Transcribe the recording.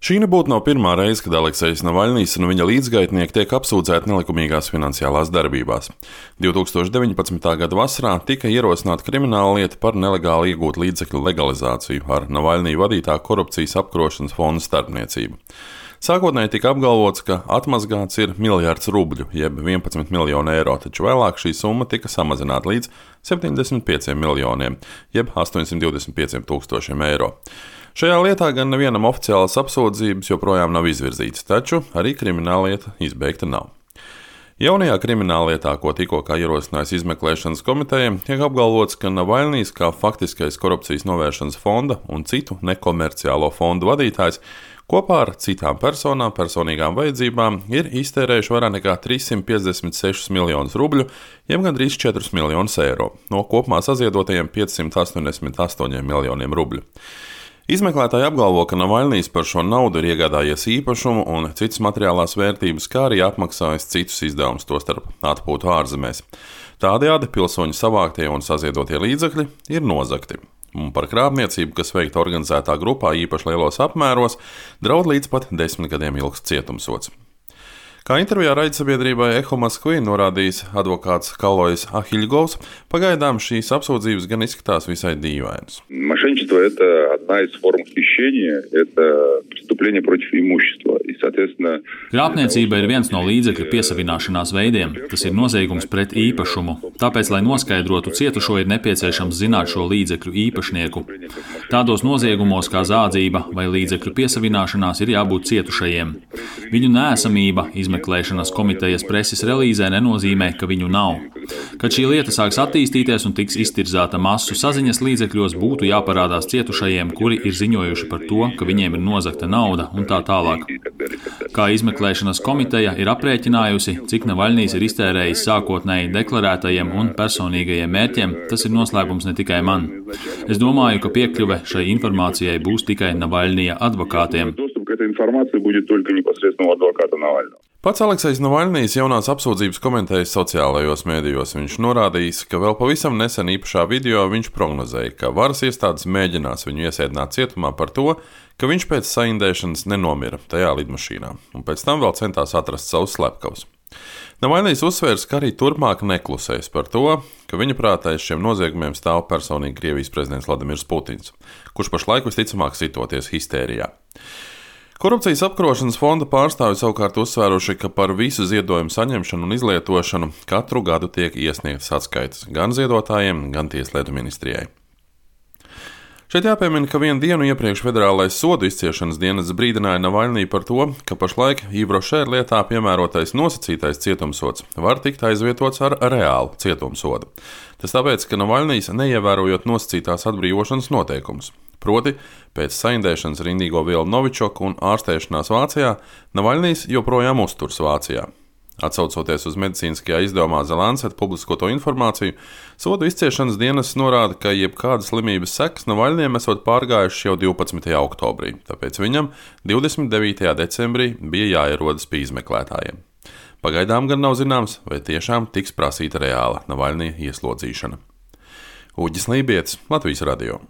Šī nebūtu nav pirmā reize, kad Aleksejs Navaļnijs un viņa līdzgaitnieki tiek apsūdzēti nelikumīgās finansiālās darbībās. 2019. gada vasarā tika ierosināta krimināla lieta par nelegāli iegūt līdzekļu legalizāciju ar Navaļnija vadītā korupcijas apkarošanas fonda starpniecību. Sākotnēji tika apgalvots, ka atmazgāts ir 1 miljards rubļu, jeb 11 miljoni eiro, taču vēlāk šī summa tika samazināta līdz 75 miljoniem, jeb 825 tūkstošiem eiro. Šajā lietā gan nevienam oficiālas apsūdzības joprojām nav izvirzītas, taču arī krimināllieta izbeigta nav. Jaunajā krimināllietā, ko tikko ierosinājusi izmeklēšanas komiteja, tiek apgalvots, ka Navaļnijs kā faktiskais korupcijas novēršanas fonda un citu nekomerciālo fondu vadītājs kopā ar citām personām, personīgām vajadzībām ir iztērējuši vairāk nekā 356 miljonus rubļu, jeb gandrīz 4 miljonus eiro, no kopumā saziedotajiem 588 miljoniem rubļu. Izmeklētāji apgalvo, ka Navaļnijs par šo naudu ir iegādājies īpašumu un citas materiālās vērtības, kā arī apmaksājis citus izdevumus, tostarp atpūtu ārzemēs. Tādējādi pilsoņu savāktie un saziedotie līdzekļi ir nozagti. Un par krāpniecību, kas veikta organizētā grupā īpaši lielos apmēros, draud līdz pat 10 gadiem ilgs cietumsods. Kā intervijā raidsabiedrībai Echo Moskvī norādījis advokāts Kalois Ахильговs, пagaidām šīs apsūdzības gan izskatās visai dīvainas. Мошенничество – это одна из форм хищения, это преступление против имущества. И, соответственно, Krāpniecība ir viens no līdzekļu piesavināšanās veidiem. Tas ir noziegums pret īpašumu. Tāpēc, lai noskaidrotu cietušo, ir nepieciešams zināt šo līdzekļu īpašnieku. Tādos noziegumos kā zādzība vai līdzekļu piesavināšanās ir jābūt cietušajiem. Viņu neesamība izmeklēšanas komitejas preses relīzē nenozīmē, ka viņu nav. Kad šī lieta sāks attīstīties un tiks iztirzāta masu saziņas līdzekļos, būtu jāparādās cietušajiem, kuri ir ziņojuši par to, ka viņiem ir nozagta nauda un tā tālāk. Kā izmeklēšanas komiteja ir aprēķinājusi, cik Navaļnijs ir iztērējis sākotnēji deklarētajiem un personīgajiem mērķiem, tas ir noslēpums ne tikai man. Es domāju, ka piekļuve šai informācijai būs tikai Navaļnija advokātiem. Pats Aleksejs Navaļnijs jaunās apsūdzības komentējas sociālajos mēdījos. Viņš norādījis, ka vēl pavisam nesen īpašā video viņš prognozēja, ka varas iestādes mēģinās viņu iesēdināt cietumā par to, ka viņš pēc saindēšanas nenomira tajā lidmašīnā, un pēc tam vēl centās atrast savus slepkavus. Navaļnijs uzsvērs, ka arī turpmāk neklusēs par to, ka viņa prātā aiz šiem noziegumiem stāv personīgi Krievijas prezidents Vladimirs Putins, kurš pašlaik visticamāk sitoties histērijā. Korupcijas apkarošanas fonda pārstāvji savukārt uzsvēruši, ka par visu ziedojumu saņemšanu un izlietošanu katru gadu tiek iesniegtas atskaites gan ziedotājiem, gan Tieslietu ministrijai. Šeit jāpiemina, ka vienu dienu iepriekš Federālais sodu izciešanas dienests brīdināja Navaļniju par to, ka pašlaik Ivrošēra lietā piemērotais nosacītais cietumsods var tikt aizvietots ar reālu cietumsodu. Tas tāpēc, ka Navaļnijs neievērojot nosacītās atbrīvošanas noteikumus. Proti, pēc saindēšanas ar indīgo vielu Novičoku un ārstēšanās Vācijā, Navaļnijs joprojām uzturas Vācijā. Atsaucoties uz medicīniskajā izdevumā The Lancet publiskoto informāciju, sodu izciešanas dienests norāda, ka jebkādas slimības sekas Navaļnijam esot pārgājušas jau 12. oktobrī, tāpēc viņam 29. decembrī bija jāierodas pie izmeklētājiem. Pagaidām gan nav zināms, vai tiešām tiks prasīta reāla Navaļnija ieslodzīšana. Uģis Lībietis, Latvijas radio.